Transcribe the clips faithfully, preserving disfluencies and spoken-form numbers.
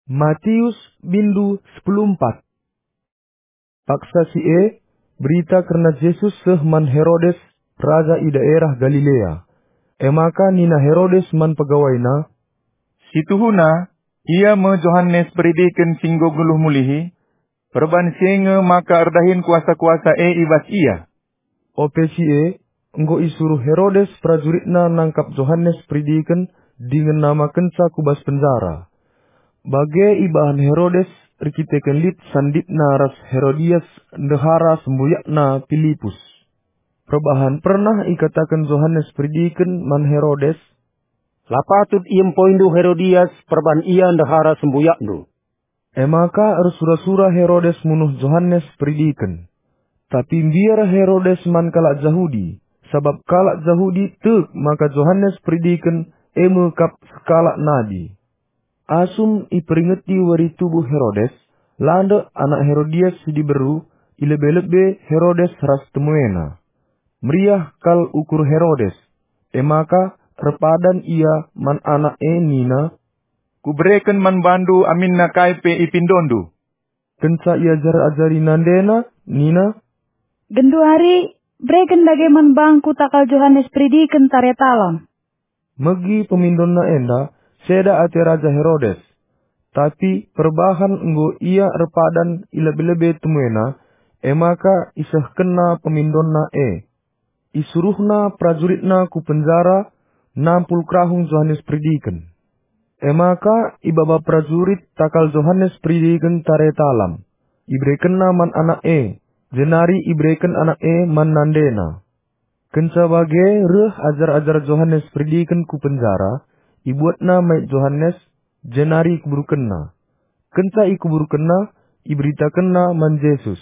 Matius bindu sepuluh empat. Paksa si e, berita kerna Jesus seh man Herodes, raja i daerah Galilea. E maka nina Herodes man pegawaina, "Si tuhuna, ia me Johanes Peridiken si enggo nggeluh mulihi. Perban si e nge maka erdahin kuasa-kuasa e i bas ia." Ope si e, enggo isuruh Herodes perajuritna nangkap Johanes Peridiken dingen namakenca ku bas penjara. Bage ibahan Herodes erkiteken lit sanditna ras Herodias ndehara sembuyakna Pilipus. Perbahan pernah ikataken Johanes Peridiken man Herodes, "La patut iempoindu Herodias perban ia ndehara sembuyakndu." E maka ersura-sura Herodes munuh Johanes Peridiken. Tapi mbiar Herodes man kalak Jahudi, sabap kalak Jahudi tek maka Johanes Peridiken e me kap sekalak nabi. Asum iperingeti wari tubuh Herodes, landek anak Herodias si diberu, i lebe-lebe Herodes ras temuena. Meriah kal ukur Herodes, e maka erpadan ia man anak e nina, "Kubereken man bandu aminna kai pe ipindondu." Kenca iajar-ajari nandena, nina, "Genduari, bereken dage man bangku takal Johanes Peridiken tare talam." Megi pemindonna enda, seda ate Raja Herodes. Tapi perbahan enggo ia erpadan i lebe-lebe temuena, e maka isehkenna pemindonna e. Isuruhna perajuritna ku penjara nampul kerahung Johanes Peridiken. E maka ibaba perajurit takal Johanes Peridiken tare talam. Iberekenna man anak e, jenari ibereken anak e man nandena. Kenca bage reh ajar-ajar Johanes Peridiken ku penjara, ibuatna mait Johanes, jenari ikuburkenna. Kenca ikuburkenna, iberitakenna man Jesus.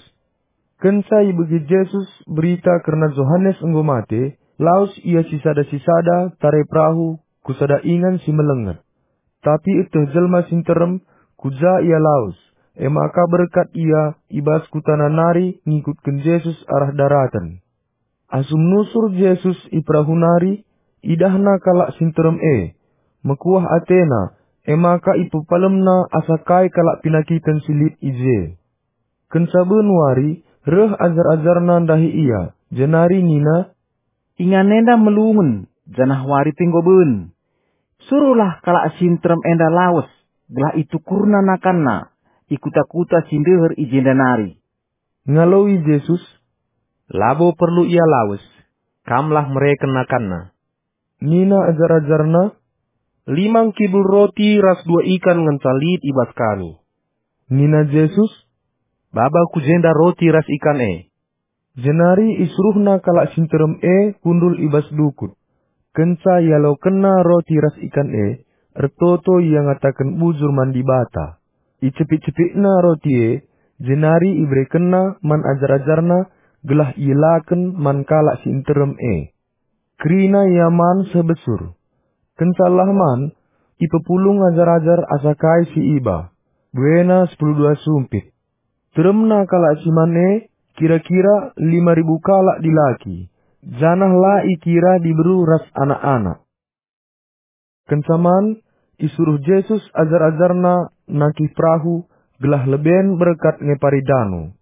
Kenca ibegi Jesus berita kerna Johanes enggo mate, lawes ia sisada-sisada tare perahu ku sada ingan si melenget. Tapi eteh jelma si nterem ku ja ia lawes, e maka berkat ia i bas kutana nari ngikutken Jesus arah daraten. Asum nusur Jesus i perahu nari, idahna kalak si nterem e. Mekuah atena, e maka ipepalemna asa kai kalak penakiten si lit i je. Kenca ben wari, reh ajar-ajarna ndahi ia, jenari nina, "Ingan enda melungen, janah wari pe enggo ben. Suruhlah kalak si nterem enda lawes, gelah itukurna nakanna i kuta-kuta si ndeher i jenda nari." Ngaloi Jesus, "Labo perlu ia lawes, kamlah mereken nakanna." Nina ajar-ajarna, "Lima ngkibul roti ras dua ikan ngenca lit i bas kami." Nina Jesus, "Baba ku jenda roti ras ikan e." Jenari isuruhna kalak si nterem e kundul i bas dukut. Kenca ialokenna roti ras ikan e, ertoto ia ngataken bujur man Dibata. Icepik-cepikna roti e, jenari iberekenna man ajar-ajarna gelah ielaken man kalak si nterem e. Kerina ia man seh besur. Kenca lah man, ipepulung ajar-ajar asa kai si iba. Buena sepuluh dua sumpit. Teremna kalak si man e kira-kira lima ribu kalak dilaki, janah la ikira diberu ras anak-anak. Kenca man, isuruh Jesus ajar-ajarna nangkih perahu gelah leben berkat ngepari dano.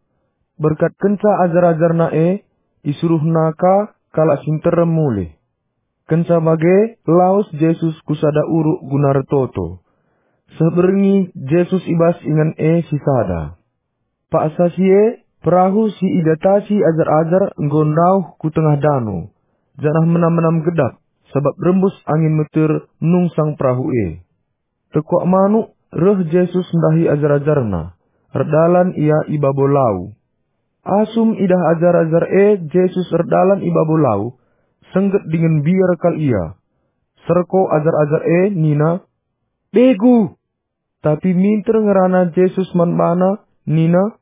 Berkat kenca ajar-ajarna e, isuruhna ka kalak si nterem mulih. Kenca bage, lawes Jesus ku sada uruk guna ertoto. Seh berngi, Jesus i bas ingan e si sada. Paksa si e, perahu si idatasi ajar-ajar enggo ndauh ku tengah dano, janah menam-menam gedap, sabap rembus angin meter nungsang perahu e. Tekuak manuk, reh Jesus ndahi ajar-ajarna. Erdalan ia i babo lau. Asum idah ajar-ajar e Jesus erdalan i babo lau, sengget dingen mbiar kal ia. Serko ajar-ajar e nina, "Begu!" Tapi minter ngerana Jesus man bana, nina,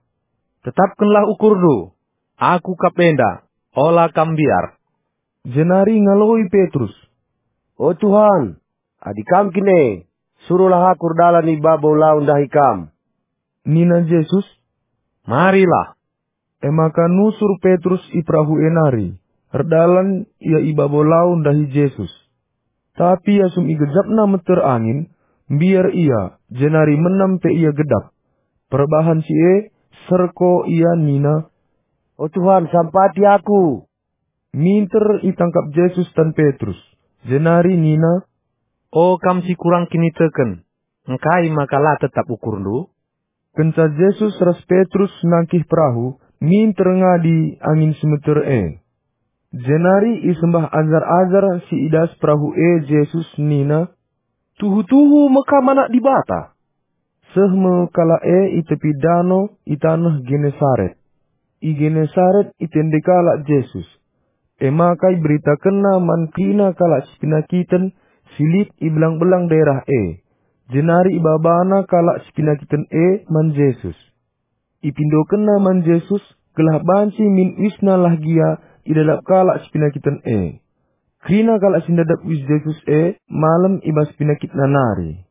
"Tetapkenlah ukurndu! Aku kap enda, ola kam mbiar." Jenari ngaloi Petrus, "O Tuhan, adi Kam kin e, suruhlah aku erdalan i babo lau ndahi Kam." Nina Jesus, "Marilah." E maka nusur Petrus i perahu e nari, erdalan ia i babo lau ndahi Jesus. Tapi asum igejapna meter angin, Mbiar ia, jenari menam pe ia gedap. Perbahan si e, serko ia nina, "O Tuhan, sampati aku!" Minter itangkap Jesus tan Petrus, jenari nina, "O kam si kurang kiniteken, engkai maka la tetap ukurndu?" Kenca Jesus ras Petrus nangkih perahu, minter ngadi angin si meter e. Jenari isembah ajar-ajar si i das perahu e Jesus nina, "Tuhu-tuhu me Kam Anak Dibata." Seh me kalak e i tepi dano i taneh Genesaret. I Genesaret itende kalak Jesus. E maka iberitakenna man kerina kalak si penakiten si lit i belang-belang daerah e, jenari ibabana kalak si penakiten e man Jesus. Ipindokenna man Jesus gelah banci min uisna lah gia idadap kalak si penakiten e. Kerina kalak si ndadap uis Jesus e malem i bas penakitna nari.